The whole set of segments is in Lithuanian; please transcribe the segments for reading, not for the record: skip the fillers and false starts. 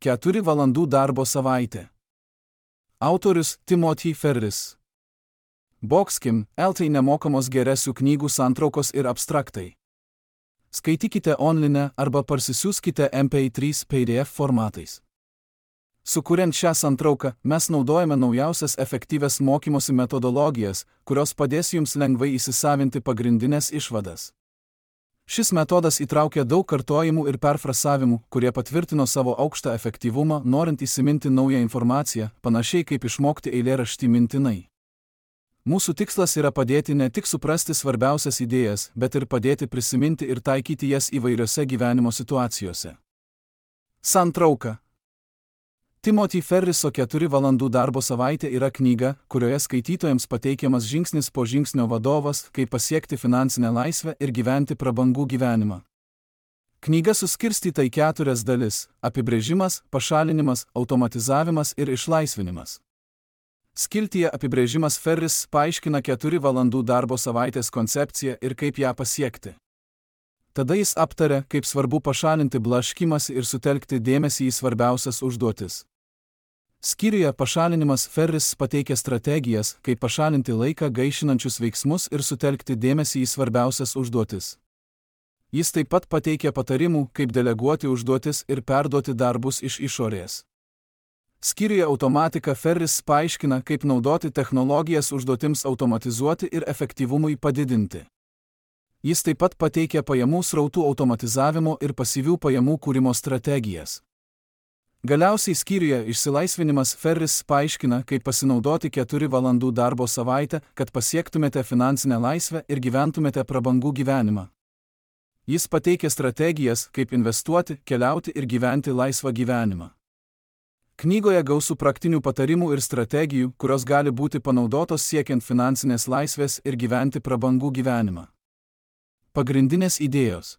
4 valandų darbo savaitė. Autorius Timothy Ferris. Boxkim, LT nemokamos geresių knygų santraukos ir abstraktai. Skaitykite online arba parsisiųskite MP3 PDF formatais. Sukuriant šią santrauką, mes naudojame naujausias efektyvias mokymosi metodologijas, kurios padės jums lengvai įsisavinti pagrindinės išvadas. Šis metodas įtraukia daug kartojimų ir perfrasavimų, kurie patvirtino savo aukštą efektyvumą, norint įsiminti naują informaciją, panašiai kaip išmokti eilėraštį mintinai. Mūsų tikslas yra padėti ne tik suprasti svarbiausias idėjas, bet ir padėti prisiminti ir taikyti jas įvairiose gyvenimo situacijose. Santrauka. Timothy Ferriso 4 valandų darbo savaitė yra knyga, kurioje skaitytojams pateikiamas žingsnis po žingsnio vadovas, kaip pasiekti finansinę laisvę ir gyventi prabangų gyvenimą. Knyga suskirstyta į 4 dalis – apibrėžimas, pašalinimas, automatizavimas ir išlaisvinimas. Skiltyje apibrėžimas Ferris paaiškina 4 valandų darbo savaitės koncepciją ir kaip ją pasiekti. Tada jis aptaria, kaip svarbu pašalinti blaškymąsi ir sutelkti dėmesį į svarbiausias užduotis. Skyriuje pašalinimas Ferris pateikia strategijas, kaip pašalinti laiką gaišinančius veiksmus ir sutelkti dėmesį į svarbiausias užduotis. Jis taip pat pateikia patarimų, kaip deleguoti užduotis ir perduoti darbus iš išorės. Skyriuje automatika Ferris paaiškina, kaip naudoti technologijas užduotims automatizuoti ir efektyvumui padidinti. Jis taip pat pateikia pajamų srautų automatizavimo ir pasyvių pajamų kūrimo strategijas. Galiausiai skyriuje išsilaisvinimas Ferris paaiškina, kaip pasinaudoti 4 valandų darbo savaitę, kad pasiektumėte finansinę laisvę ir gyventumėte prabangų gyvenimą. Jis pateikia strategijas, kaip investuoti, keliauti ir gyventi laisvą gyvenimą. Knygoje gausu praktinių patarimų ir strategijų, kurios gali būti panaudotos siekiant finansinės laisvės ir gyventi prabangų gyvenimą. Pagrindinės idėjos.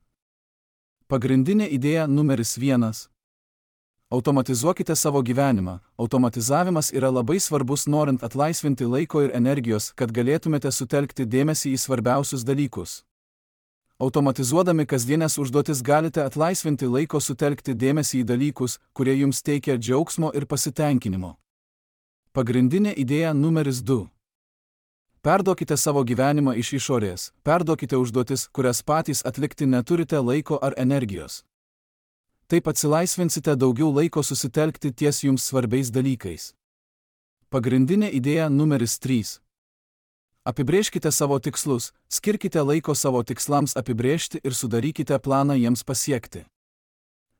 Pagrindinė idėja numeris 1. Automatizuokite savo gyvenimą. Automatizavimas yra labai svarbus norint atlaisvinti laiko ir energijos, kad galėtumėte sutelkti dėmesį į svarbiausius dalykus. Automatizuodami kasdienės užduotis galite atlaisvinti laiko sutelkti dėmesį į dalykus, kurie jums teikia džiaugsmo ir pasitenkinimo. Pagrindinė idėja numeris 2. Perduokite savo gyvenimą iš išorės. Perduokite užduotis, kurias patys atlikti neturite laiko ar energijos. Taip atsilaisvinsite daugiau laiko susitelkti ties jums svarbiais dalykais. Pagrindinė idėja numeris 3. Apibrėžkite savo tikslus, skirkite laiko savo tikslams apibrėžti ir sudarykite planą jiems pasiekti.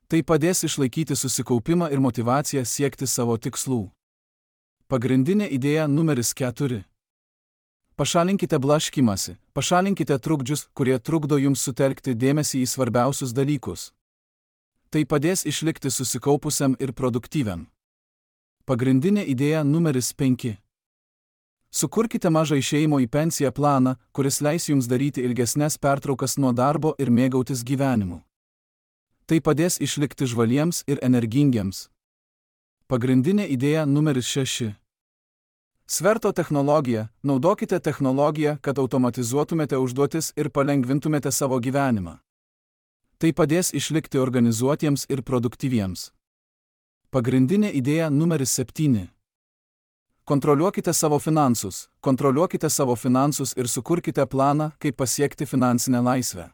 Tai padės išlaikyti susikaupimą ir motyvaciją siekti savo tikslų. Pagrindinė idėja numeris 4. Pašalinkite blaškymąsi, pašalinkite trukdžius, kurie trukdo jums sutelkti dėmesį į svarbiausius dalykus. Tai padės išlikti susikaupusiam ir produktyviam. Pagrindinė idėja numeris 5. Sukurkite mažą išėjimo į pensiją planą, kuris leis jums daryti ilgesnes pertraukas nuo darbo ir mėgautis gyvenimu. Tai padės išlikti žvaliems ir energingiems. Pagrindinė idėja numeris 6. Sverto technologija. Naudokite technologiją, kad automatizuotumėte užduotis ir palengvintumėte savo gyvenimą. Tai padės išlikti organizuotiems ir produktyviems. Pagrindinė idėja numeris 7. Kontroliuokite savo finansus. Kontroliuokite savo finansus ir sukurkite planą, kaip pasiekti finansinę laisvę.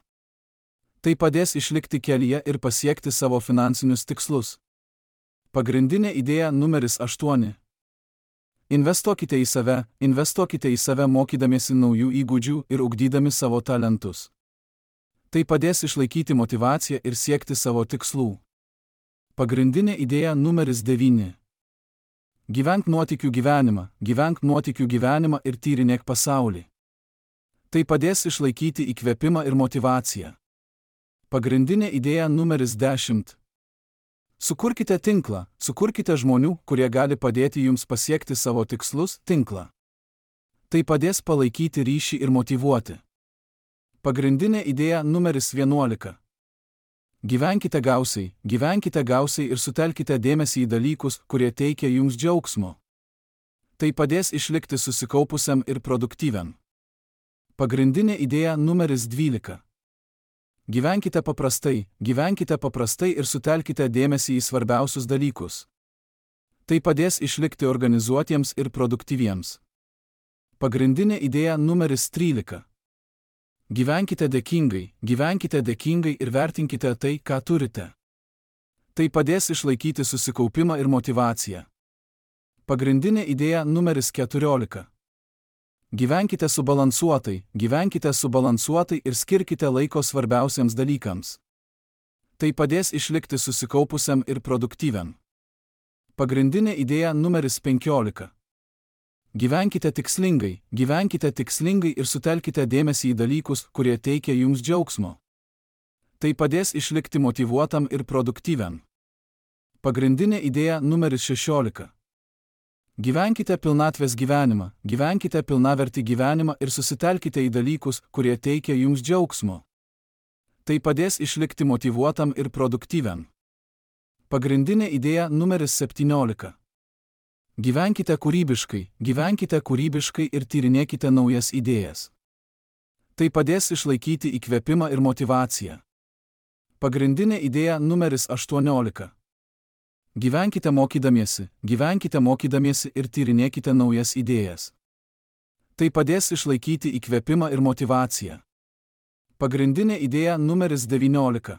Tai padės išlikti kelyje ir pasiekti savo finansinius tikslus. Pagrindinė idėja numeris 8. Investuokite į save mokydamiesi naujų įgūdžių ir ugdydami savo talentus. Tai padės išlaikyti motyvaciją ir siekti savo tikslų. Pagrindinė idėja numeris 9. Gyvenk nuotykių gyvenimą ir tyrinėk pasaulį. Tai padės išlaikyti įkvėpimą ir motyvaciją. Pagrindinė idėja numeris 10. Sukurkite tinklą, sukurkite žmonių, kurie gali padėti jums pasiekti savo tikslus, tinklą. Tai padės palaikyti ryšį ir motyvuoti. Pagrindinė idėja numeris 11. Gyvenkite gausiai ir sutelkite dėmesį į dalykus, kurie teikia jums džiaugsmo. Tai padės išlikti susikaupusiam ir produktyviam. Pagrindinė idėja numeris 12. Gyvenkite paprastai ir sutelkite dėmesį į svarbiausius dalykus. Tai padės išlikti organizuotiems ir produktyviems. Pagrindinė idėja numeris 13. Gyvenkite dėkingai ir vertinkite tai, ką turite. Tai padės išlaikyti susikaupimą ir motyvaciją. Pagrindinė idėja numeris 14. Gyvenkite subalansuotai ir skirkite laiko svarbiausiams dalykams. Tai padės išlikti susikaupusiam ir produktyviam. Pagrindinė idėja numeris 15. Gyvenkite tikslingai ir sutelkite dėmesį į dalykus, kurie teikia jums džiaugsmo. Tai padės išlikti motyvuotam ir produktyviam. Pagrindinė idėja numeris 16. Gyvenkite pilnavertį gyvenimą ir susitelkite į dalykus, kurie teikia jums džiaugsmo. Tai padės išlikti motyvuotam ir produktyviam. Pagrindinė idėja numeris 17. Gyvenkite kūrybiškai ir tyrinėkite naujas idėjas. Tai padės išlaikyti įkvėpimą ir motyvaciją. Pagrindinė idėja numeris 18. Gyvenkite mokydamiesi ir tyrinėkite naujas idėjas. Tai padės išlaikyti įkvėpimą ir motyvaciją. Pagrindinė idėja numeris 19.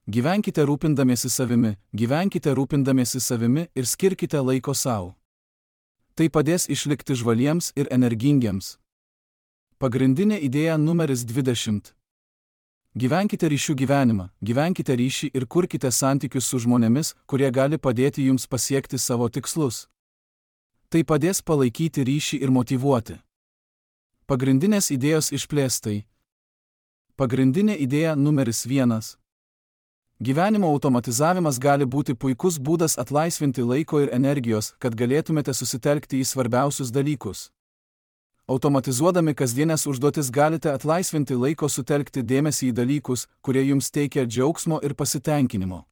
Gyvenkite rūpindamiesi savimi ir skirkite laiko sau. Tai padės išlikti žvaliems ir energingiems. Pagrindinė idėja numeris 20. Gyvenkite ryšį ir kurkite santykius su žmonėmis, kurie gali padėti jums pasiekti savo tikslus. Tai padės palaikyti ryšį ir motyvuoti. Pagrindinės idėjos išplėstai. Pagrindinė idėja numeris 1. Gyvenimo automatizavimas gali būti puikus būdas atlaisvinti laiko ir energijos, kad galėtumėte susitelkti į svarbiausius dalykus. Automatizuodami kasdienės užduotis galite atlaisvinti laiko sutelkti dėmesį į dalykus, kurie jums teikia džiaugsmo ir pasitenkinimo.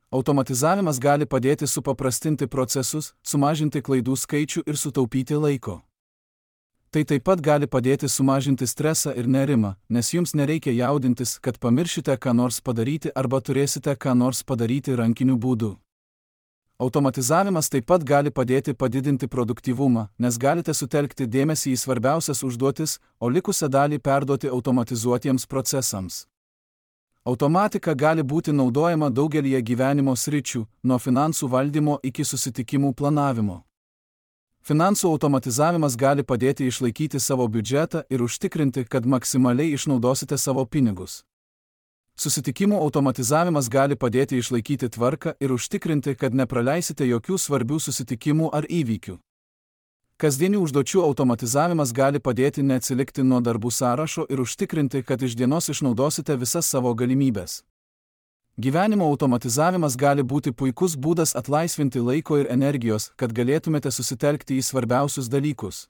Automatizavimas gali padėti supaprastinti procesus, sumažinti klaidų skaičių ir sutaupyti laiko. Tai taip pat gali padėti sumažinti stresą ir nerimą, nes jums nereikia jaudintis, kad pamiršite ką nors padaryti arba turėsite ką nors padaryti rankiniu būdu. Automatizavimas taip pat gali padėti padidinti produktyvumą, nes galite sutelkti dėmesį į svarbiausias užduotis, o likusią dalį perduoti automatizuotiems procesams. Automatika gali būti naudojama daugelyje gyvenimo sričių, nuo finansų valdymo iki susitikimų planavimo. Finansų automatizavimas gali padėti išlaikyti savo biudžetą ir užtikrinti, kad maksimaliai išnaudosite savo pinigus. Susitikimų automatizavimas gali padėti išlaikyti tvarką ir užtikrinti, kad nepraleisite jokių svarbių susitikimų ar įvykių. Kasdienių užduočių automatizavimas gali padėti neatsilikti nuo darbų sąrašo ir užtikrinti, kad iš dienos išnaudosite visas savo galimybes. Gyvenimo automatizavimas gali būti puikus būdas atlaisvinti laiko ir energijos, kad galėtumėte susitelkti į svarbiausius dalykus.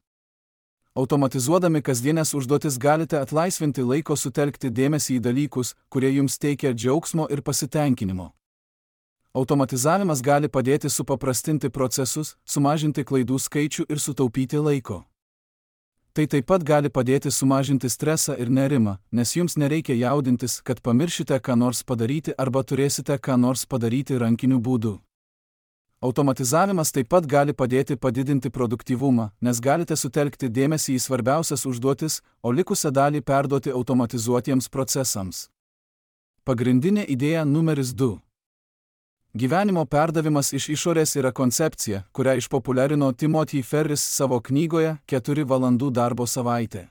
Automatizuodami kasdienės užduotis galite atlaisvinti laiko sutelkti dėmesį į dalykus, kurie jums teikia džiaugsmo ir pasitenkinimo. Automatizavimas gali padėti supaprastinti procesus, sumažinti klaidų skaičių ir sutaupyti laiko. Tai taip pat gali padėti sumažinti stresą ir nerimą, nes jums nereikia jaudintis, kad pamiršite ką nors padaryti arba turėsite ką nors padaryti rankiniu būdu. Automatizavimas taip pat gali padėti padidinti produktyvumą, nes galite sutelkti dėmesį į svarbiausias užduotis, o likusią dalį perduoti automatizuotiems procesams. Pagrindinė idėja numeris 2. Gyvenimo perdavimas iš išorės yra koncepcija, kurią išpopuliarino Timothy Ferris savo knygoje 4 valandų darbo savaitė.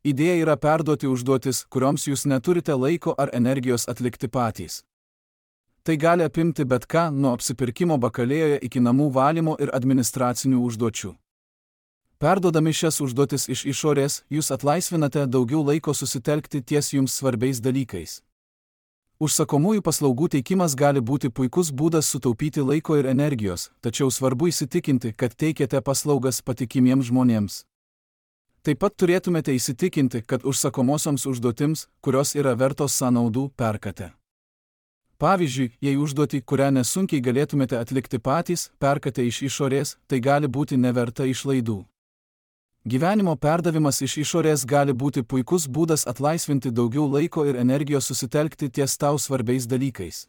Idėja yra perduoti užduotis, kurioms jūs neturite laiko ar energijos atlikti patys. Tai gali apimti bet ką, nuo apsipirkimo bakalėjoje iki namų valymo ir administracinių užduočių. Perduodami šias užduotis iš išorės, jūs atlaisvinate daugiau laiko susitelkti ties jums svarbiais dalykais. Užsakomųjų paslaugų teikimas gali būti puikus būdas sutaupyti laiko ir energijos, tačiau svarbu įsitikinti, kad teikiate paslaugas patikimiems žmonėms. Taip pat turėtumėte įsitikinti, kad užsakomosioms užduotims, kurios yra vertos sąnaudų, perkate. Pavyzdžiui, jei užduotį, kurią nesunkiai galėtumėte atlikti patys, perkate iš išorės, tai gali būti neverta išlaidų. Gyvenimo perdavimas iš išorės gali būti puikus būdas atlaisvinti daugiau laiko ir energijos susitelkti ties tau svarbiais dalykais.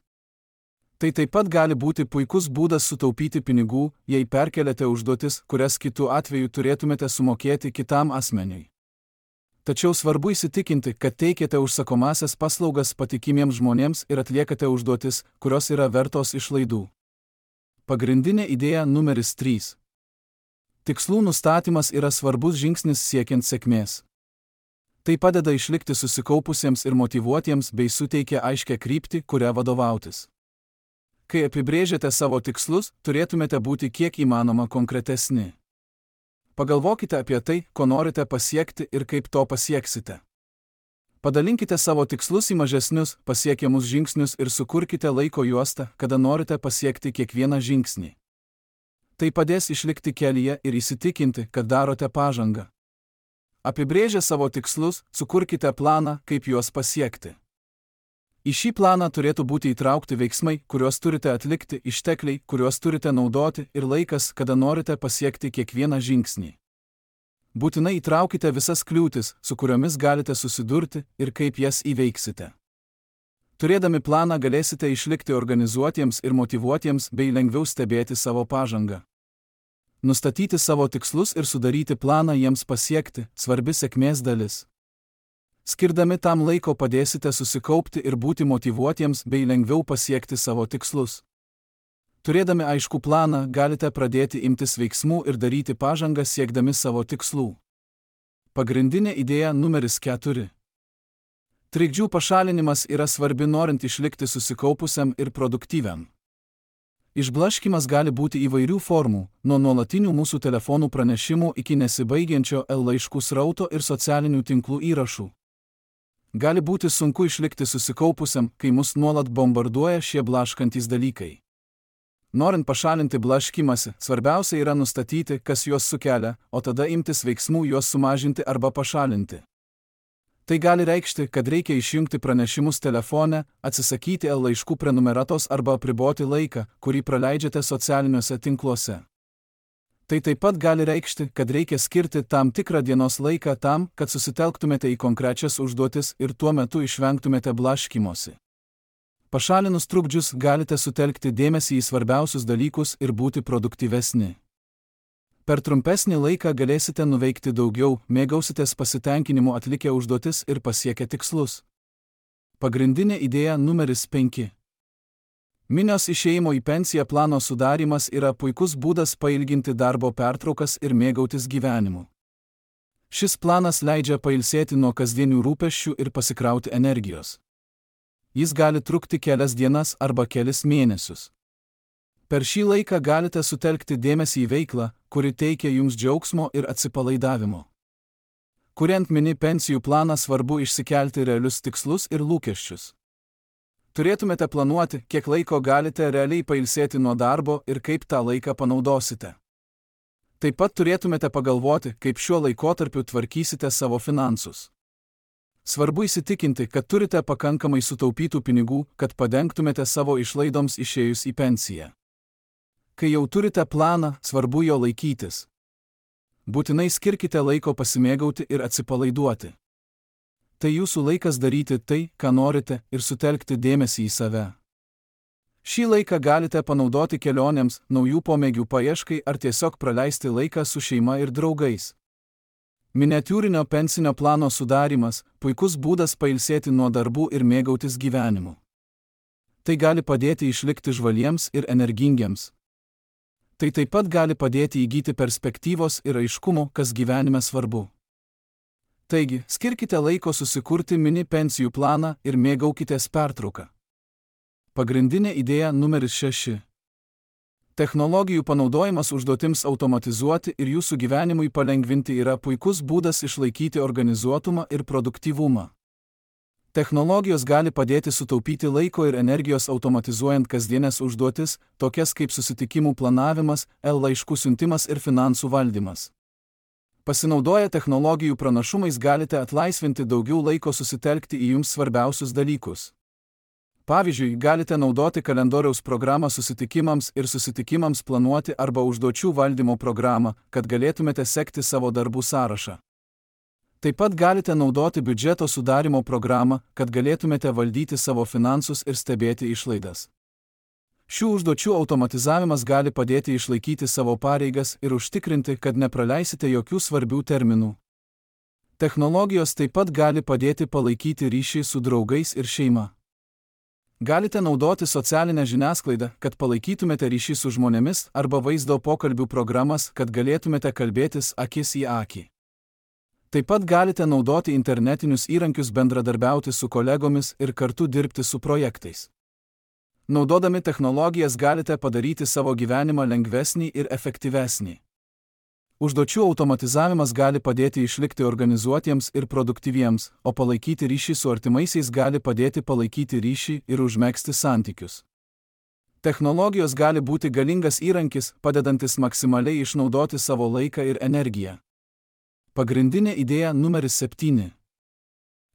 Tai taip pat gali būti puikus būdas sutaupyti pinigų, jei perkeliate užduotis, kurias kitu atveju turėtumėte sumokėti kitam asmeniui. Tačiau svarbu įsitikinti, kad teikiate užsakomasias paslaugas patikimiems žmonėms ir atliekate užduotis, kurios yra vertos išlaidų. Pagrindinė idėja numeris 3. Tikslų nustatymas yra svarbus žingsnis siekiant sėkmės. Tai padeda išlikti susikaupusiems ir motyvuotiems bei suteikia aiškią kryptį, kuria vadovautis. Kai apibrėžiate savo tikslus, turėtumėte būti kiek įmanoma konkretesni. Pagalvokite apie tai, ko norite pasiekti ir kaip to pasieksite. Padalinkite savo tikslus į mažesnius, pasiekiamus žingsnius ir sukurkite laiko juostą, kada norite pasiekti kiekvieną žingsnį. Tai padės išlikti kelyje ir įsitikinti, kad darote pažangą. Apibrėžę savo tikslus, sukurkite planą, kaip juos pasiekti. Į šį planą turėtų būti įtraukti veiksmai, kuriuos turite atlikti, ištekliai, kuriuos turite naudoti ir laikas, kada norite pasiekti kiekvieną žingsnį. Būtinai įtraukite visas kliūtis, su kuriomis galite susidurti ir kaip jas įveiksite. Turėdami planą galėsite išlikti organizuotiems ir motyvuotiems bei lengviau stebėti savo pažangą. Nustatyti savo tikslus ir sudaryti planą jiems pasiekti – svarbi sėkmės dalis. Skirdami tam laiko padėsite susikaupti ir būti motyvuotiems bei lengviau pasiekti savo tikslus. Turėdami aiškų planą, galite pradėti imtis veiksmų ir daryti pažangą siekdami savo tikslų. Pagrindinė idėja numeris 4. Trikdžių pašalinimas yra svarbi norint išlikti susikaupusiam ir produktyviam. Išblaškymas gali būti įvairių formų, nuo nuolatinių mūsų telefonų pranešimų iki nesibaigiančio laiškų srauto ir socialinių tinklų įrašų. Gali būti sunku išlikti susikaupusiam, kai mus nuolat bombarduoja šie blaškantys dalykai. Norint pašalinti blaškymąsi, svarbiausia yra nustatyti, kas juos sukelia, o tada imtis veiksmų juos sumažinti arba pašalinti. Tai gali reikšti, kad reikia išjungti pranešimus telefone, atsisakyti laiškų prenumeratos arba apriboti laiką, kurį praleidžiate socialiniuose tinkluose. Tai taip pat gali reikšti, kad reikia skirti tam tikrą dienos laiką tam, kad susitelktumėte į konkrečias užduotis ir tuo metu išvengtumėte blaškymosi. Pašalinus trukdžius galite sutelkti dėmesį į svarbiausius dalykus ir būti produktyvesni. Per trumpesnį laiką galėsite nuveikti daugiau, mėgausitės pasitenkinimu atlikę užduotis ir pasiekę tikslus. Pagrindinė idėja numeris 5. Minios išėjimo į pensiją plano sudarymas yra puikus būdas pailginti darbo pertraukas ir mėgautis gyvenimu. Šis planas leidžia pailsėti nuo kasdienių rūpesčių ir pasikrauti energijos. Jis gali trukti kelias dienas arba kelis mėnesius. Per šį laiką galite sutelkti dėmesį į veiklą, kuri teikia jums džiaugsmo ir atsipalaidavimo. Kuriant mini pensijų planą, svarbu išsikelti realius tikslus ir lūkesčius. Turėtumėte planuoti, kiek laiko galite realiai pailsėti nuo darbo ir kaip tą laiką panaudosite. Taip pat turėtumėte pagalvoti, kaip šiuo laikotarpiu tvarkysite savo finansus. Svarbu įsitikinti, kad turite pakankamai sutaupytų pinigų, kad padengtumėte savo išlaidoms išėjus į pensiją. Kai jau turite planą, svarbu jo laikytis. Būtinai skirkite laiko pasimėgauti ir atsipalaiduoti. Tai jūsų laikas daryti tai, ką norite, ir sutelkti dėmesį į save. Šį laiką galite panaudoti kelionėms, naujų pomėgių paieškai ar tiesiog praleisti laiką su šeima ir draugais. Miniatiūrinio pensinio plano sudarymas – puikus būdas pailsėti nuo darbų ir mėgautis gyvenimu. Tai gali padėti išlikti žvaliems ir energingiems. Tai taip pat gali padėti įgyti perspektyvos ir aiškumo, kas gyvenime svarbu. Taigi, skirkite laiko susikurti mini pensijų planą ir mėgaukitės pertrauką. Pagrindinė idėja numeris 6. Technologijų panaudojimas užduotims automatizuoti ir jūsų gyvenimui palengvinti yra puikus būdas išlaikyti organizuotumą ir produktyvumą. Technologijos gali padėti sutaupyti laiko ir energijos automatizuojant kasdienės užduotis, tokias kaip susitikimų planavimas, laiškų siuntimas ir finansų valdymas. Pasinaudoję technologijų pranašumais galite atlaisvinti daugiau laiko susitelkti į jums svarbiausius dalykus. Pavyzdžiui, galite naudoti kalendoriaus programą susitikimams ir susitikimams planuoti arba užduočių valdymo programą, kad galėtumėte sekti savo darbų sąrašą. Taip pat galite naudoti biudžeto sudarimo programą, kad galėtumėte valdyti savo finansus ir stebėti išlaidas. Šių užduočių automatizavimas gali padėti išlaikyti savo pareigas ir užtikrinti, kad nepraleisite jokių svarbių terminų. Technologijos taip pat gali padėti palaikyti ryšį su draugais ir šeima. Galite naudoti socialinę žiniasklaidą, kad palaikytumėte ryšį su žmonėmis arba vaizdo pokalbių programas, kad galėtumėte kalbėtis akis į akį. Taip pat galite naudoti internetinius įrankius bendradarbiauti su kolegomis ir kartu dirbti su projektais. Naudodami technologijas galite padaryti savo gyvenimą lengvesnį ir efektyvesnį. Užduočių automatizavimas gali padėti išlikti organizuotiems ir produktyviems, o palaikyti ryšį su artimaisiais gali padėti palaikyti ryšį ir užmegzti santykius. Technologijos gali būti galingas įrankis, padedantis maksimaliai išnaudoti savo laiką ir energiją. Pagrindinė idėja numeris 7.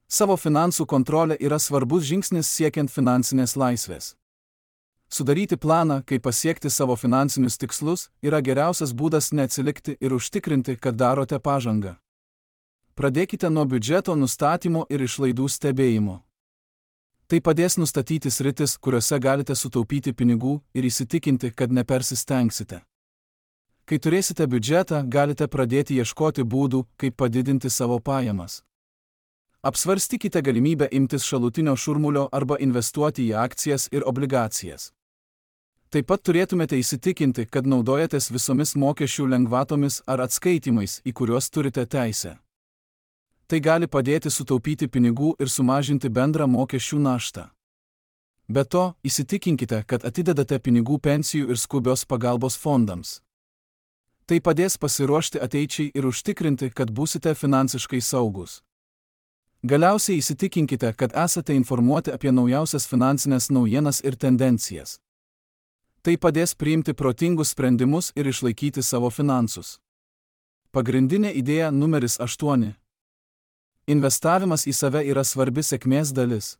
Savo finansų kontrolė yra svarbus žingsnis siekiant finansinės laisvės. Sudaryti planą, kaip pasiekti savo finansinius tikslus, yra geriausias būdas neatsilikti ir užtikrinti, kad darote pažangą. Pradėkite nuo biudžeto nustatymo ir išlaidų stebėjimo. Tai padės nustatyti sritis, kuriuose galite sutaupyti pinigų ir įsitikinti, kad nepersistengsite. Kai turėsite biudžetą, galite pradėti ieškoti būdų, kaip padidinti savo pajamas. Apsvarstykite galimybę imtis šalutinio šurmulio arba investuoti į akcijas ir obligacijas. Taip pat turėtumėte įsitikinti, kad naudojatės visomis mokesčių lengvatomis ar atskaitimais, į kuriuos turite teisę. Tai gali padėti sutaupyti pinigų ir sumažinti bendrą mokesčių naštą. Be to, įsitikinkite, kad atidedate pinigų pensijų ir skubios pagalbos fondams. Tai padės pasiruošti ateičiai ir užtikrinti, kad būsite finansiškai saugus. Galiausiai įsitikinkite, kad esate informuoti apie naujausias finansinės naujienas ir tendencijas. Tai padės priimti protingus sprendimus ir išlaikyti savo finansus. Pagrindinė idėja numeris 8. Investavimas į save yra svarbi sėkmės dalis.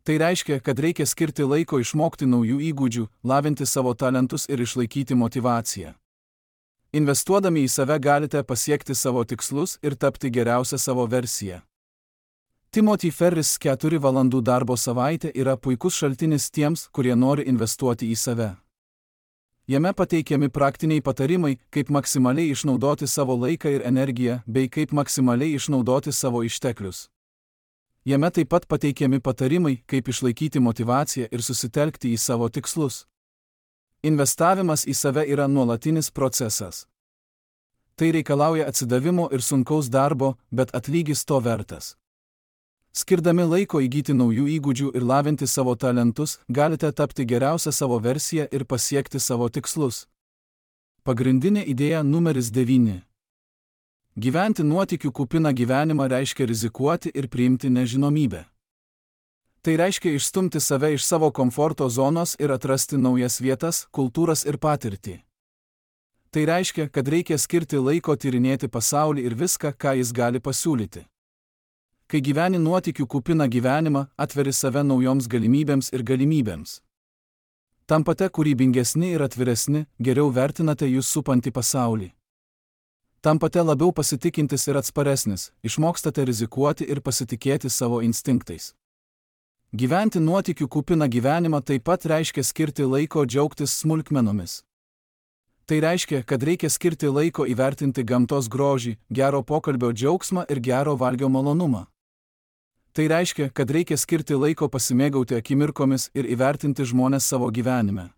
Tai reiškia, kad reikia skirti laiko išmokti naujų įgūdžių, lavinti savo talentus ir išlaikyti motyvaciją. Investuodami į save galite pasiekti savo tikslus ir tapti geriausią savo versiją. Timothy Ferris 4 valandų darbo savaitė yra puikus šaltinis tiems, kurie nori investuoti į save. Jame pateikiami praktiniai patarimai, kaip maksimaliai išnaudoti savo laiką ir energiją, bei kaip maksimaliai išnaudoti savo išteklius. Jame taip pat pateikiami patarimai, kaip išlaikyti motyvaciją ir susitelkti į savo tikslus. Investavimas į save yra nuolatinis procesas. Tai reikalauja atsidavimo ir sunkaus darbo, bet atlygis to vertas. Skirdami laiko įgyti naujų įgūdžių ir lavinti savo talentus, galite tapti geriausią savo versiją ir pasiekti savo tikslus. Pagrindinė idėja numeris 9. Gyventi nuotykių kupiną gyvenimą reiškia rizikuoti ir priimti nežinomybę. Tai reiškia išstumti save iš savo komforto zonos ir atrasti naujas vietas, kultūras ir patirtį. Tai reiškia, kad reikia skirti laiko tyrinėti pasaulį ir viską, ką jis gali pasiūlyti. Kai gyveni nuotykių kupiną gyvenimą, atveri save naujoms galimybėms ir galimybėms. Tampate kūrybingesni ir atviresni, geriau vertinate jūs supantį pasaulį. Tampate labiau pasitikintis ir atsparesnis, išmokstate rizikuoti ir pasitikėti savo instinktais. Gyventi nuotykių kupiną gyvenimą taip pat reiškia skirti laiko džiaugtis smulkmenomis. Tai reiškia, kad reikia skirti laiko įvertinti gamtos grožį, gero pokalbio džiaugsmą ir gero valgio malonumą. Tai reiškia, kad reikia skirti laiko pasimėgauti akimirkomis ir įvertinti žmones savo gyvenime.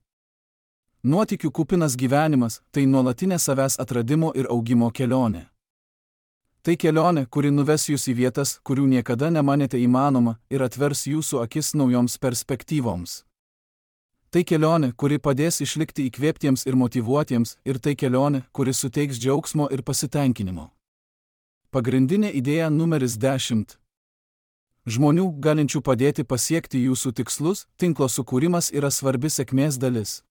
Nuotykių kupinas gyvenimas – tai nuolatinė savęs atradimo ir augimo kelionė. Tai kelionė, kuri nuves jūs į vietas, kurių niekada nemanėte įmanoma ir atvers jūsų akis naujoms perspektyvoms. Tai kelionė, kuri padės išlikti įkvėptiems ir motyvuotiems, ir tai kelionė, kuri suteiks džiaugsmo ir pasitenkinimo. Pagrindinė idėja numeris 10. Žmonių, galinčių padėti pasiekti jūsų tikslus, tinklo sukūrimas yra svarbi sėkmės dalis.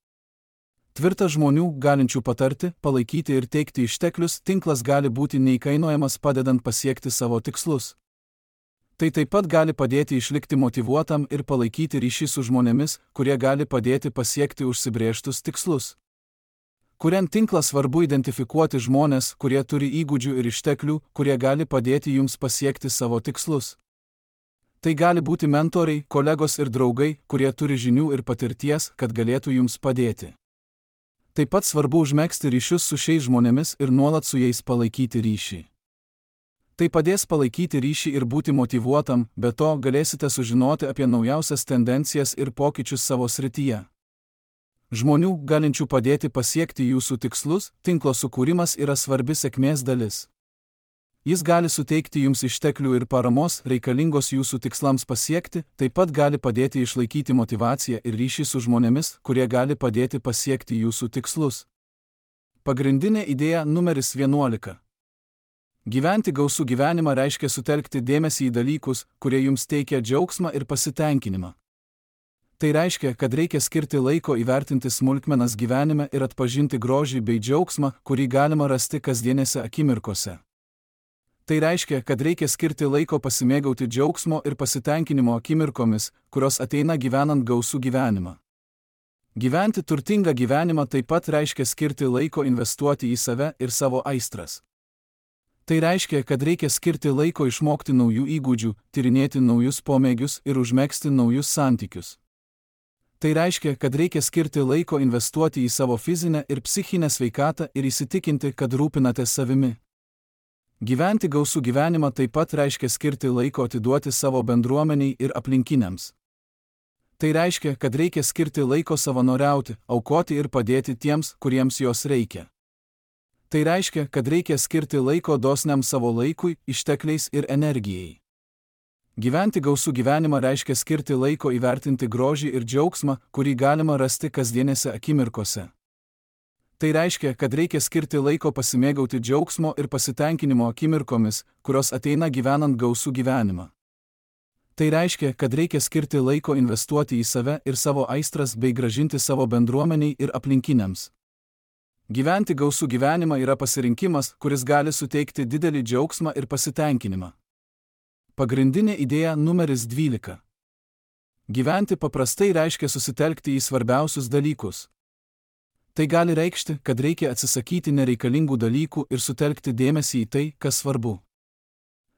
Tvirtas žmonių, galinčių patarti, palaikyti ir teikti išteklius, tinklas gali būti neįkainojamas padedant pasiekti savo tikslus. Tai taip pat gali padėti išlikti motyvuotam ir palaikyti ryšį su žmonėmis, kurie gali padėti pasiekti užsibrėžtus tikslus. Kuriant tinklą svarbu identifikuoti žmonės, kurie turi įgūdžių ir išteklių, kurie gali padėti jums pasiekti savo tikslus. Tai gali būti mentoriai, kolegos ir draugai, kurie turi žinių ir patirties, kad galėtų jums padėti. Taip pat svarbu užmegzti ryšius su šiais žmonėmis ir nuolat su jais palaikyti ryšį. Tai padės palaikyti ryšį ir būti motyvuotam, be to galėsite sužinoti apie naujausias tendencijas ir pokyčius savo srityje. Žmonių, galinčių padėti pasiekti jūsų tikslus, tinklo sukūrimas yra svarbi sėkmės dalis. Jis gali suteikti jums išteklių ir paramos, reikalingos jūsų tikslams pasiekti, taip pat gali padėti išlaikyti motyvaciją ir ryšį su žmonėmis, kurie gali padėti pasiekti jūsų tikslus. Pagrindinė idėja numeris 11. Gyventi gausų gyvenimą reiškia sutelkti dėmesį į dalykus, kurie jums teikia džiaugsmą ir pasitenkinimą. Tai reiškia, kad reikia skirti laiko įvertinti smulkmenas gyvenime ir atpažinti grožį bei džiaugsmą, kurį galima rasti kasdienėse akimirkose. Tai reiškia, kad reikia skirti laiko pasimėgauti džiaugsmo ir pasitenkinimo akimirkomis, kurios ateina gyvenant gausų gyvenimą. Gyventi turtingą gyvenimą taip pat reiškia skirti laiko investuoti į save ir savo aistras. Tai reiškia, kad reikia skirti laiko išmokti naujų įgūdžių, tyrinėti naujus pomėgius ir užmegzti naujus santykius. Tai reiškia, kad reikia skirti laiko investuoti į savo fizinę ir psichinę sveikatą ir įsitikinti, kad rūpinate savimi. Gyventi gausų gyvenimą taip pat reiškia skirti laiko atiduoti savo bendruomeniai ir aplinkiniams. Tai reiškia, kad reikia skirti laiko savanoriauti, aukoti ir padėti tiems, kuriems jos reikia. Tai reiškia, kad reikia skirti laiko dosniam savo laikui, ištekliais ir energijai. Gyventi gausų gyvenimą reiškia skirti laiko įvertinti grožį ir džiaugsmą, kurį galima rasti kasdienėse akimirkose. Tai reiškia, kad reikia skirti laiko pasimėgauti džiaugsmo ir pasitenkinimo akimirkomis, kurios ateina gyvenant gausų gyvenimą. Tai reiškia, kad reikia skirti laiko investuoti į save ir savo aistras bei grąžinti savo bendruomeniai ir aplinkiniams. Gyventi gausų gyvenimą yra pasirinkimas, kuris gali suteikti didelį džiaugsmą ir pasitenkinimą. Pagrindinė idėja numeris 12. Gyventi paprastai reiškia susitelkti į svarbiausius dalykus. Tai gali reikšti, kad reikia atsisakyti nereikalingų dalykų ir sutelkti dėmesį į tai, kas svarbu.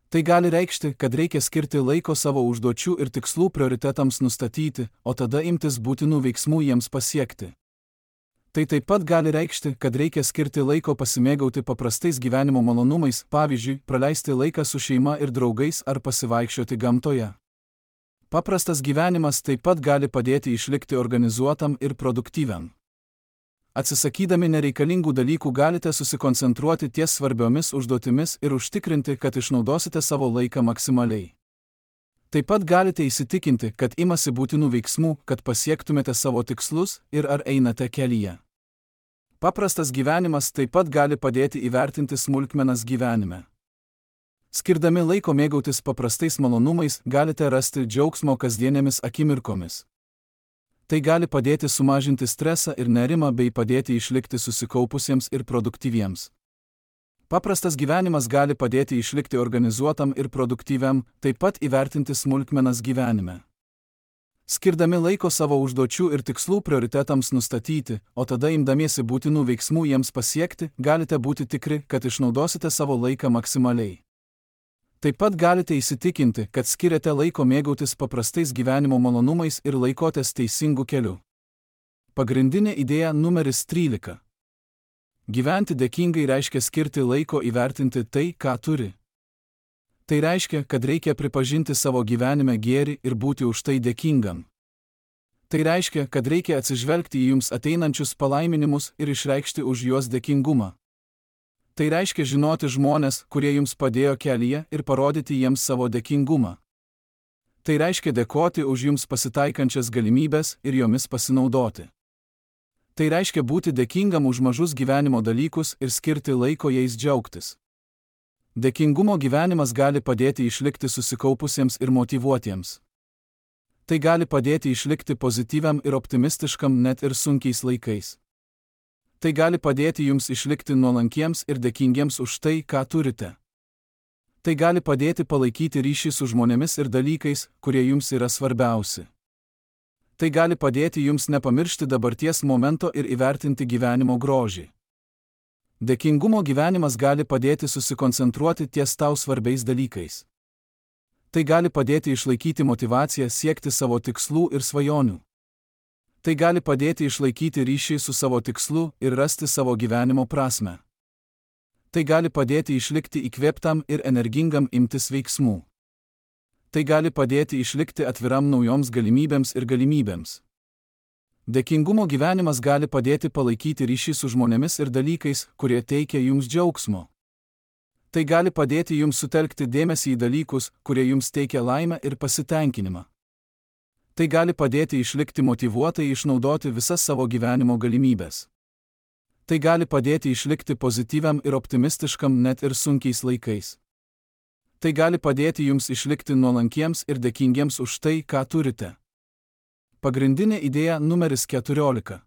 Tai gali reikšti, kad reikia skirti laiko savo užduočių ir tikslų prioritetams nustatyti, o tada imtis būtinų veiksmų jiems pasiekti. Tai taip pat gali reikšti, kad reikia skirti laiko pasimėgauti paprastais gyvenimo malonumais, pavyzdžiui, praleisti laiką su šeima ir draugais ar pasivaikščioti gamtoje. Paprastas gyvenimas taip pat gali padėti išlikti organizuotam ir produktyviam. Atsisakydami nereikalingų dalykų galite susikoncentruoti ties svarbiomis užduotimis ir užtikrinti, kad išnaudosite savo laiką maksimaliai. Taip pat galite įsitikinti, kad imasi būtinų veiksmų, kad pasiektumėte savo tikslus ir ar einate kelyje. Paprastas gyvenimas taip pat gali padėti įvertinti smulkmenas gyvenime. Skirdami laiko mėgautis paprastais malonumais, galite rasti džiaugsmo kasdienėmis akimirkomis. Tai gali padėti sumažinti stresą ir nerimą bei padėti išlikti susikaupusiems ir produktyviems. Paprastas gyvenimas gali padėti išlikti organizuotam ir produktyviam, taip pat įvertinti smulkmenas gyvenime. Skirdami laiko savo užduočių ir tikslų prioritetams nustatyti, o tada imdamiesi būtinų veiksmų jiems pasiekti, galite būti tikri, kad išnaudosite savo laiką maksimaliai. Taip pat galite įsitikinti, kad skiriate laiko mėgautis paprastais gyvenimo malonumais ir laikotės teisingų kelių. Pagrindinė idėja numeris 13. Gyventi dėkingai reiškia skirti laiko įvertinti tai, ką turi. Tai reiškia, kad reikia pripažinti savo gyvenime gėrį ir būti už tai dėkingam. Tai reiškia, kad reikia atsižvelgti į jums ateinančius palaiminimus ir išreikšti už juos dėkingumą. Tai reiškia žinoti žmones, kurie jums padėjo kelyje ir parodyti jiems savo dėkingumą. Tai reiškia dėkoti už jums pasitaikančias galimybės ir jomis pasinaudoti. Tai reiškia būti dėkingam už mažus gyvenimo dalykus ir skirti laiko jais džiaugtis. Dėkingumo gyvenimas gali padėti išlikti susikaupusiems ir motyvuotiems. Tai gali padėti išlikti pozityviam ir optimistiškam net ir sunkiais laikais. Tai gali padėti jums išlikti nuolankiems ir dėkingiems už tai, ką turite. Tai gali padėti palaikyti ryšį su žmonėmis ir dalykais, kurie jums yra svarbiausi. Tai gali padėti jums nepamiršti dabarties momento ir įvertinti gyvenimo grožį. Dėkingumo gyvenimas gali padėti susikoncentruoti ties tau svarbiais dalykais. Tai gali padėti išlaikyti motyvaciją siekti savo tikslų ir svajonių. Tai gali padėti išlaikyti ryšį su savo tikslu ir rasti savo gyvenimo prasmę. Tai gali padėti išlikti įkvėptam ir energingam imtis veiksmų. Tai gali padėti išlikti atviram naujoms galimybėms ir galimybėms. Dėkingumo gyvenimas gali padėti palaikyti ryšį su žmonėmis ir dalykais, kurie teikia jums džiaugsmo. Tai gali padėti jums sutelkti dėmesį į dalykus, kurie jums teikia laimę ir pasitenkinimą. Tai gali padėti išlikti motyvuotai išnaudoti visas savo gyvenimo galimybės. Tai gali padėti išlikti pozityviam ir optimistiškam net ir sunkiais laikais. Tai gali padėti jums išlikti nuolankiems ir dėkingiems už tai, ką turite. Pagrindinė idėja numeris 14.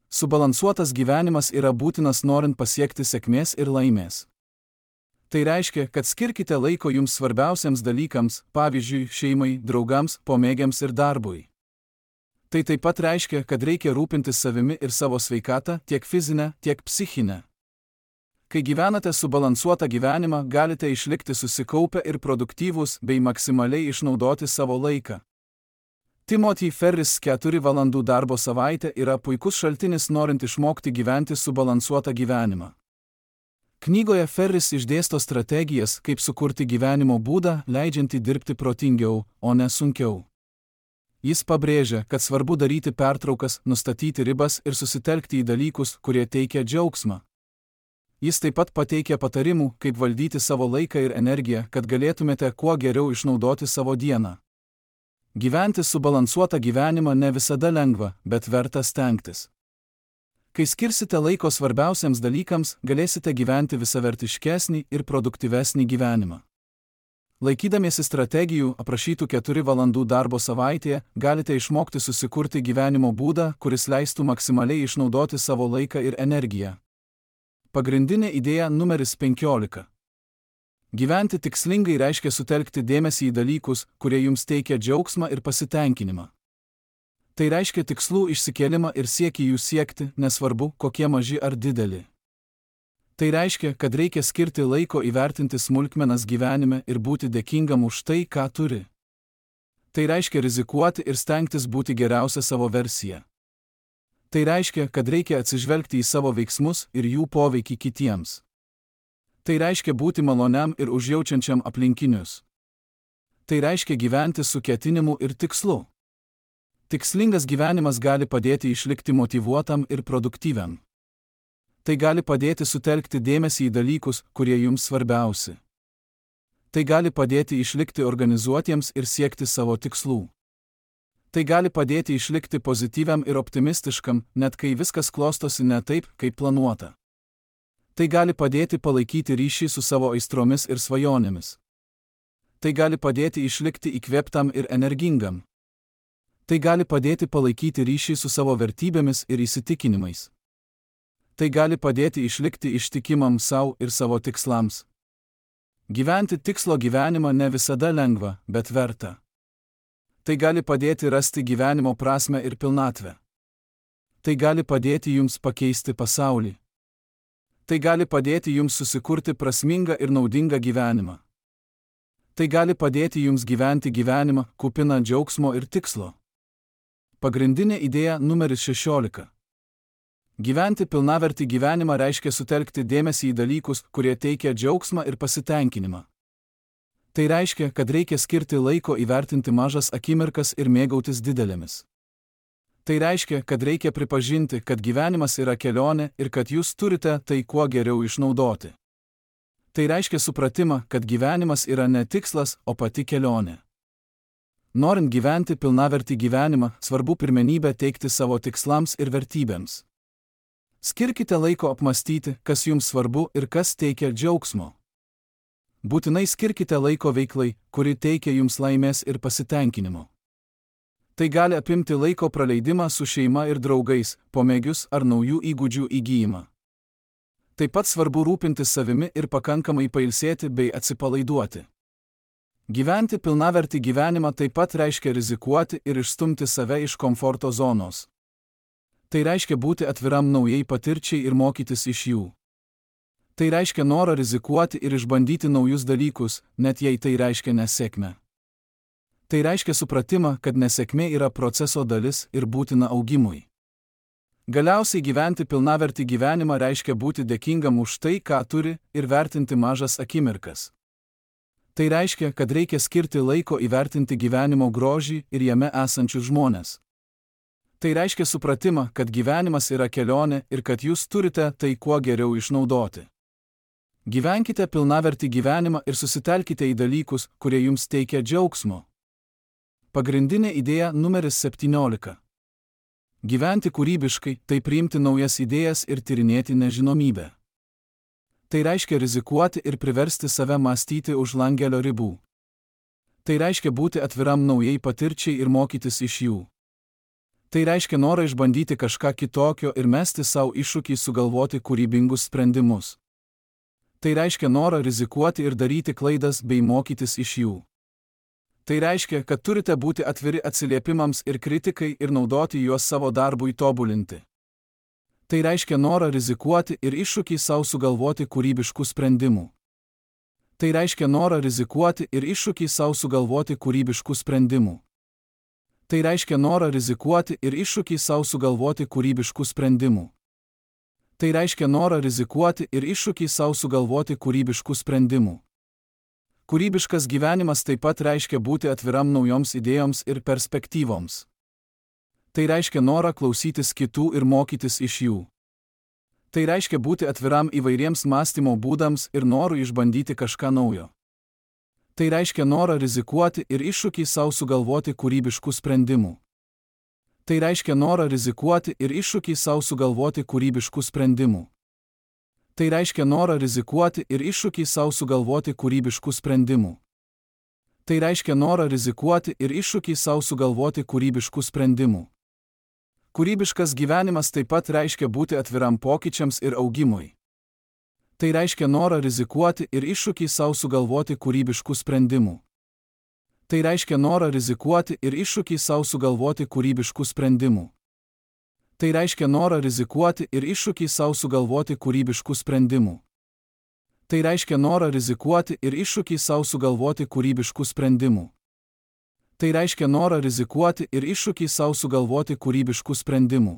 Subalansuotas gyvenimas yra būtinas norint pasiekti sėkmės ir laimės. Tai reiškia, kad skirkite laiko jums svarbiausiams dalykams, pavyzdžiui, šeimai, draugams, pomėgiams ir darbui. Tai taip pat reiškia, kad reikia rūpintis savimi ir savo sveikatą, tiek fizinę, tiek psichinę. Kai gyvenate subalansuotą gyvenimą, galite išlikti susikaupę ir produktyvūs bei maksimaliai išnaudoti savo laiką. Timothy Ferris 4 valandų darbo savaitė yra puikus šaltinis norint išmokti gyventi subalansuotą gyvenimą. Knygoje Ferris išdėsto strategijas, kaip sukurti gyvenimo būdą, leidžiantį dirbti protingiau, o ne sunkiau. Jis pabrėžia, kad svarbu daryti pertraukas, nustatyti ribas ir susitelkti į dalykus, kurie teikia džiaugsmą. Jis taip pat pateikia patarimų, kaip valdyti savo laiką ir energiją, kad galėtumėte kuo geriau išnaudoti savo dieną. Gyventi subalansuotą gyvenimą ne visada lengva, bet verta stengtis. Kai skirsite laiko svarbiausiams dalykams, galėsite gyventi visavertiškesnį ir produktyvesnį gyvenimą. Laikydamiesi strategijų, aprašytų 4 valandų darbo savaitėje, galite išmokti susikurti gyvenimo būdą, kuris leistų maksimaliai išnaudoti savo laiką ir energiją. Pagrindinė idėja numeris 15. Gyventi tikslingai reiškia sutelkti dėmesį į dalykus, kurie jums teikia džiaugsmą ir pasitenkinimą. Tai reiškia tikslų išsikėlimą ir siekį jų siekti, nesvarbu, kokie maži ar dideli. Tai reiškia, kad reikia skirti laiko įvertinti smulkmenas gyvenime ir būti dėkingam už tai, ką turi. Tai reiškia rizikuoti ir stengtis būti geriausia savo versija. Tai reiškia, kad reikia atsižvelgti į savo veiksmus ir jų poveikį kitiems. Tai reiškia būti maloniam ir užjaučiančiam aplinkinius. Tai reiškia gyventi su ketinimu ir tikslu. Tikslingas gyvenimas gali padėti išlikti motyvuotam ir produktyviam. Tai gali padėti sutelkti dėmesį į dalykus, kurie jums svarbiausi. Tai gali padėti išlikti organizuotiems ir siekti savo tikslų. Tai gali padėti išlikti pozityviam ir optimistiškam, net kai viskas klostosi ne taip, kaip planuota. Tai gali padėti palaikyti ryšį su savo aistromis ir svajonėmis. Tai gali padėti išlikti įkvėptam ir energingam. Tai gali padėti palaikyti ryšį su savo vertybėmis ir įsitikinimais. Tai gali padėti išlikti ištikimam savo ir savo tikslams. Gyventi tikslo gyvenimą ne visada lengva, bet verta. Tai gali padėti rasti gyvenimo prasmę ir pilnatvę. Tai gali padėti jums pakeisti pasaulį. Tai gali padėti jums susikurti prasmingą ir naudingą gyvenimą. Tai gali padėti jums gyventi gyvenimą, kupiną džiaugsmo ir tikslo. Pagrindinė idėja numeris 16. Gyventi pilnavertį gyvenimą reiškia sutelkti dėmesį į dalykus, kurie teikia džiaugsmą ir pasitenkinimą. Tai reiškia, kad reikia skirti laiko įvertinti mažas akimirkas ir mėgautis didelėmis. Tai reiškia, kad reikia pripažinti, kad gyvenimas yra kelionė ir kad jūs turite tai kuo geriau išnaudoti. Tai reiškia supratimą, kad gyvenimas yra ne tikslas, o pati kelionė. Norint gyventi pilnavertį gyvenimą, svarbu pirmenybę teikti savo tikslams ir vertybėms. Skirkite laiko apmastyti, kas jums svarbu ir kas teikia džiaugsmo. Būtinai skirkite laiko veiklai, kuri teikia jums laimės ir pasitenkinimo. Tai gali apimti laiko praleidimą su šeima ir draugais, pomėgius ar naujų įgūdžių įgyjimą. Taip pat svarbu rūpintis savimi ir pakankamai pailsėti bei atsipalaiduoti. Gyventi pilnavertį gyvenimą taip pat reiškia rizikuoti ir išstumti save iš komforto zonos. Tai reiškia būti atviram naujai patirčiai ir mokytis iš jų. Tai reiškia norą rizikuoti ir išbandyti naujus dalykus, net jei tai reiškia nesėkmę. Tai reiškia supratimą, kad nesėkmė yra proceso dalis ir būtina augimui. Galiausiai gyventi pilnavertį gyvenimą reiškia būti dėkingam už tai, ką turi, ir vertinti mažas akimirkas. Tai reiškia, kad reikia skirti laiko įvertinti gyvenimo grožį ir jame esančius žmones. Tai reiškia supratimą, kad gyvenimas yra kelionė ir kad jūs turite tai kuo geriau išnaudoti. Gyvenkite pilnavertį gyvenimą ir susitelkite į dalykus, kurie jums teikia džiaugsmo. Pagrindinė idėja numeris 17. Gyventi kūrybiškai – tai priimti naujas idėjas ir tyrinėti nežinomybę. Tai reiškia rizikuoti ir priversti save mąstyti už langelio ribų. Tai reiškia būti atviram naujai patirčiai ir mokytis iš jų. Tai reiškia norą išbandyti kažką kitokio ir mesti savo iššūkį sugalvoti kūrybingus sprendimus. Tai reiškia norą rizikuoti ir daryti klaidas bei mokytis iš jų. Tai reiškia, kad turite būti atviri atsiliepimams ir kritikai ir naudoti juos savo darbui tobulinti. Tai reiškia norą rizikuoti ir iššūkį savo sugalvoti kūrybiškų sprendimų. Tai reiškia norą rizikuoti ir iššūkį savo sugalvoti kūrybiškų sprendimų. Tai reiškia norą rizikuoti ir iššūkį savo sugalvoti kūrybiškų sprendimų. Tai reiškia norą rizikuoti ir iššūkį savo sugalvoti kūrybiškų sprendimų. Kūrybiškas gyvenimas taip pat reiškia būti atviram naujoms idėjoms ir perspektyvoms. Tai reiškia norą klausytis kitų ir mokytis iš jų. Tai reiškia būti atviram įvairiems mąstymo būdams ir norų išbandyti kažką naujo. Tai reiškia norą rizikuoti ir iššūkį savo sugalvoti kūrybiškų sprendimų. Tai reiškia norą rizikuoti ir iššūkį savo sugalvoti kūrybiškų sprendimų. Tai reiškia norą rizikuoti ir iššūkį savo sugalvoti kūrybiškų sprendimų. Tai reiškia norą rizikuoti ir iššūkį savo sugalvoti kūrybiškų sprendimų. Kūrybiškas gyvenimas taip pat reiškia būti atviram pokyčiams ir augimui. Tai reiškia norą rizikuoti ir iššūkį savo sugalvoti kūrybiškų sprendimų. Tai reiškia norą rizikuoti ir iššūkį savo sugalvoti kūrybiškų sprendimų. Tai reiškia norą rizikuoti ir iššūkį savo sugalvoti kūrybiškų sprendimų. Tai reiškia norą rizikuoti ir iššūkį savo sugalvoti kūrybiškų sprendimų. Tai reiškia norą rizikuoti ir iššūkį savo sugalvoti kūrybiškų sprendimų.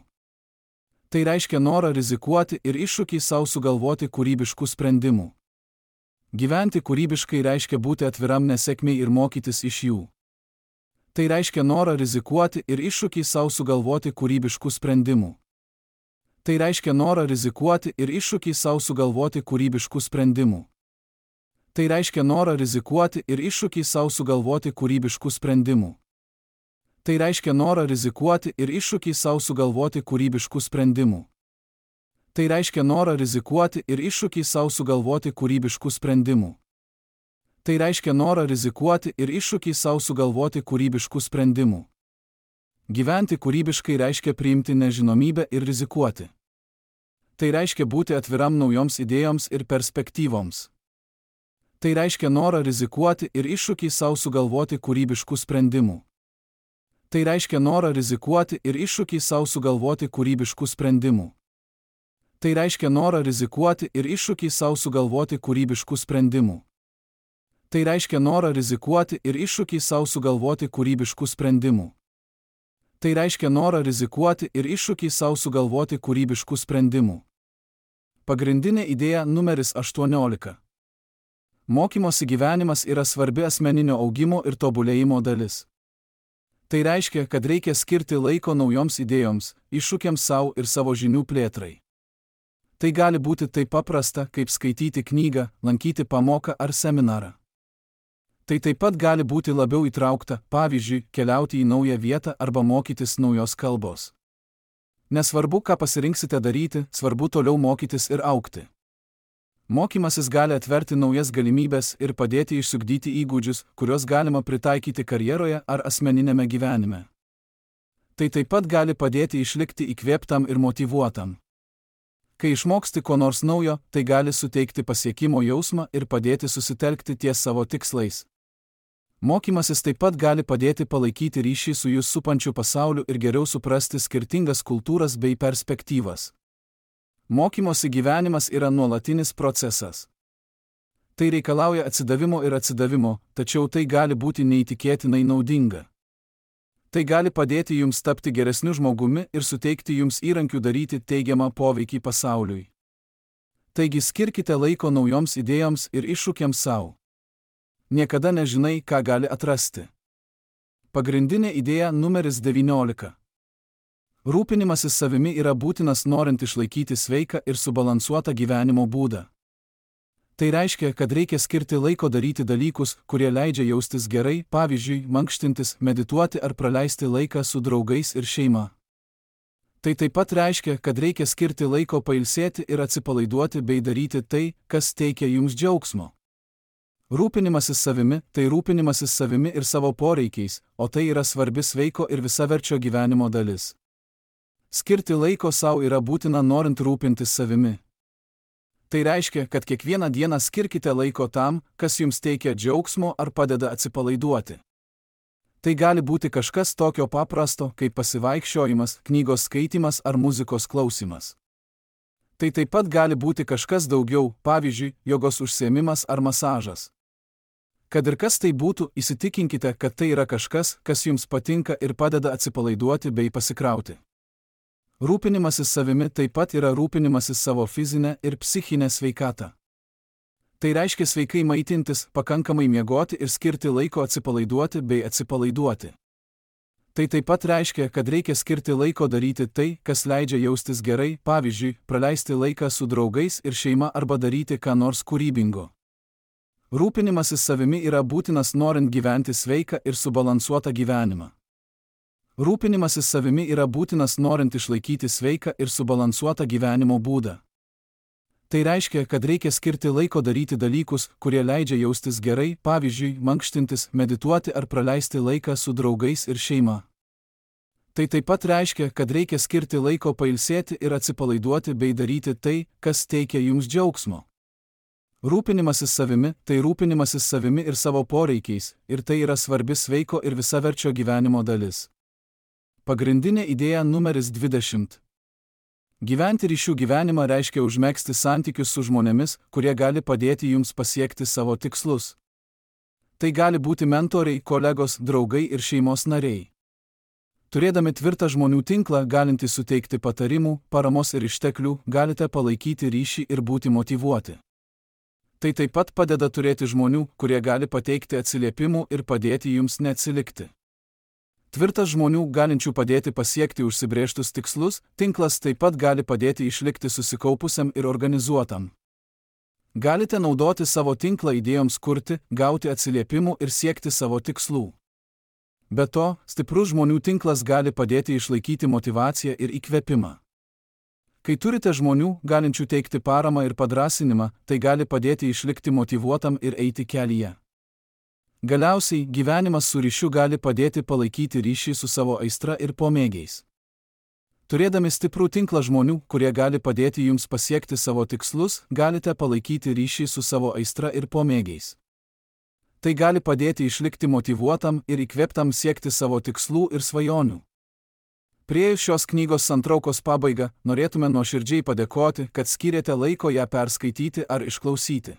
Tai reiškia norą rizikuoti ir iššūkį savo sugalvoti kūrybiškų sprendimų. Gyventi kūrybiškai reiškia būti atviram nesėkmei ir mokytis iš jų. Tai reiškia norą rizikuoti ir iššūkį savo sugalvoti kūrybiškų sprendimų. Tai reiškia norą rizikuoti ir iššūkį savo sugalvoti kūrybiškų sprendimų. Tai reiškia norą rizikuoti ir iššūkį savo sugalvoti kūrybiškų sprendimų. Tai reiškia norą rizikuoti ir iššūkį savo sugalvoti kūrybiškų sprendimų. Tai reiškia norą rizikuoti ir iššūkį savo sugalvoti kūrybiškų sprendimų. Tai reiškia norą rizikuoti ir iššūkį savo sugalvoti kūrybiškų sprendimų. Gyventi kūrybiškai reiškia priimti nežinomybę ir rizikuoti. Tai reiškia būti atviram naujoms idėjoms ir perspektyvoms. Tai reiškia norą rizikuoti ir iššūkį savo sugalvoti kūrybiškų sprendimų. Tai reiškia norą rizikuoti ir iššūkį savo sugalvoti kūrybiškų sprendimų. Tai reiškia norą rizikuoti ir iššūkį savo sugalvoti kūrybiškų sprendimų. Tai reiškia norą rizikuoti ir iššūkį savo sugalvoti kūrybiškų sprendimų. Tai reiškia norą rizikuoti ir iššūkį savo sugalvoti kūrybiškų sprendimų. Pagrindinė idėja numeris 18. Mokymosi gyvenimas yra svarbi asmeninio augimo ir tobulėjimo dalis. Tai reiškia, kad reikia skirti laiko naujoms idėjoms, iššūkiams savo ir savo žinių plėtrai. Tai gali būti taip paprasta, kaip skaityti knygą, lankyti pamoką ar seminarą. Tai taip pat gali būti labiau įtraukta, pavyzdžiui, keliauti į naują vietą arba mokytis naujos kalbos. Nesvarbu, ką pasirinksite daryti, svarbu toliau mokytis ir augti. Mokymasis gali atverti naujas galimybes ir padėti išsiugdyti įgūdžius, kuriuos galima pritaikyti karjeroje ar asmeninėme gyvenime. Tai taip pat gali padėti išlikti įkvėptam ir motyvuotam. Kai išmoksti ko nors naujo, tai gali suteikti pasiekimo jausmą ir padėti susitelkti ties savo tikslais. Mokymasis taip pat gali padėti palaikyti ryšį su jūs supančiu pasauliu ir geriau suprasti skirtingas kultūras bei perspektyvas. Mokymosi gyvenimas yra nuolatinis procesas. Tai reikalauja atsidavimo, tačiau tai gali būti neįtikėtinai naudinga. Tai gali padėti jums tapti geresniu žmogumi ir suteikti jums įrankių daryti teigiamą poveikį pasauliui. Taigi skirkite laiko naujoms idėjoms ir iššūkiams savo. Niekada nežinai, ką gali atrasti. Pagrindinė idėja numeris 19. Rūpinimasis savimi yra būtinas norint išlaikyti sveiką ir subalansuotą gyvenimo būdą. Tai reiškia, kad reikia skirti laiko daryti dalykus, kurie leidžia jaustis gerai, pavyzdžiui, mankštintis, medituoti ar praleisti laiką su draugais ir šeima. Tai taip pat reiškia, kad reikia skirti laiko pailsėti ir atsipalaiduoti bei daryti tai, kas teikia jums džiaugsmo. Rūpinimasis savimi – tai rūpinimasis savimi ir savo poreikiais, o tai yra svarbi sveiko ir visaverčio gyvenimo dalis. Skirti laiko savo yra būtina norint rūpintis savimi. Tai reiškia, kad kiekvieną dieną skirkite laiko tam, kas jums teikia džiaugsmo ar padeda atsipalaiduoti. Tai gali būti kažkas tokio paprasto, kaip pasivaikščiojimas, knygos skaitymas ar muzikos klausymas. Tai taip pat gali būti kažkas daugiau, pavyzdžiui, jogos užsiėmimas ar masažas. Kad ir kas tai būtų, įsitikinkite, kad tai yra kažkas, kas jums patinka ir padeda atsipalaiduoti bei pasikrauti. Rūpinimasis savimi taip pat yra rūpinimasis savo fizinę ir psichinę sveikatą. Tai reiškia sveikai maitintis, pakankamai miegoti ir skirti laiko atsipalaiduoti bei atsipalaiduoti. Tai taip pat reiškia, kad reikia skirti laiko daryti tai, kas leidžia jaustis gerai, pavyzdžiui, praleisti laiką su draugais ir šeima arba daryti ką nors kūrybingo. Rūpinimasis savimi yra būtinas norint gyventi sveiką ir subalansuotą gyvenimą. Rūpinimasis savimi yra būtinas norint išlaikyti sveiką ir subalansuotą gyvenimo būdą. Tai reiškia, kad reikia skirti laiko daryti dalykus, kurie leidžia jaustis gerai, pavyzdžiui, mankštintis, medituoti ar praleisti laiką su draugais ir šeima. Tai taip pat reiškia, kad reikia skirti laiko pailsėti ir atsipalaiduoti bei daryti tai, kas teikia jums džiaugsmo. Rūpinimasis savimi – tai rūpinimasis savimi ir savo poreikiais, ir tai yra svarbi sveiko ir visaverčio gyvenimo dalis. Pagrindinė idėja numeris 20. Gyventi ryšių gyvenimą reiškia užmegzti santykius su žmonėmis, kurie gali padėti jums pasiekti savo tikslus. Tai gali būti mentoriai, kolegos, draugai ir šeimos nariai. Turėdami tvirtą žmonių tinklą, galintį suteikti patarimų, paramos ir išteklių, galite palaikyti ryšį ir būti motyvuoti. Tai taip pat padeda turėti žmonių, kurie gali pateikti atsiliepimų ir padėti jums neatsilikti. Tvirtas žmonių, galinčių padėti pasiekti užsibrėžtus tikslus, tinklas taip pat gali padėti išlikti susikaupusiam ir organizuotam. Galite naudoti savo tinklą idėjoms kurti, gauti atsiliepimų ir siekti savo tikslų. Be to, stiprus žmonių tinklas gali padėti išlaikyti motyvaciją ir įkvėpimą. Kai turite žmonių, galinčių teikti paramą ir padrąsinimą, tai gali padėti išlikti motyvuotam ir eiti kelyje. Galiausiai, gyvenimas su ryšiu gali padėti palaikyti ryšį su savo aistra ir pomėgiais. Turėdami stiprų tinklą žmonių, kurie gali padėti jums pasiekti savo tikslus, galite palaikyti ryšį su savo aistra ir pomėgiais. Tai gali padėti išlikti motyvuotam ir įkvėptam siekti savo tikslų ir svajonių. Priėjus šios knygos santraukos pabaigą, norėtume nuoširdžiai padėkoti, kad skyrėte laiko ją perskaityti ar išklausyti.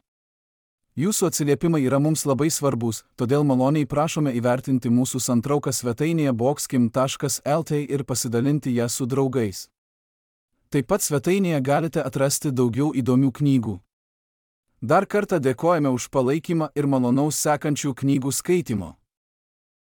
Jūsų atsiliepimai yra mums labai svarbus, todėl maloniai prašome įvertinti mūsų santrauką svetainėje boxkim.lt ir pasidalinti ją su draugais. Taip pat svetainėje galite atrasti daugiau įdomių knygų. Dar kartą dėkojame už palaikymą ir malonaus sekančių knygų skaitymo.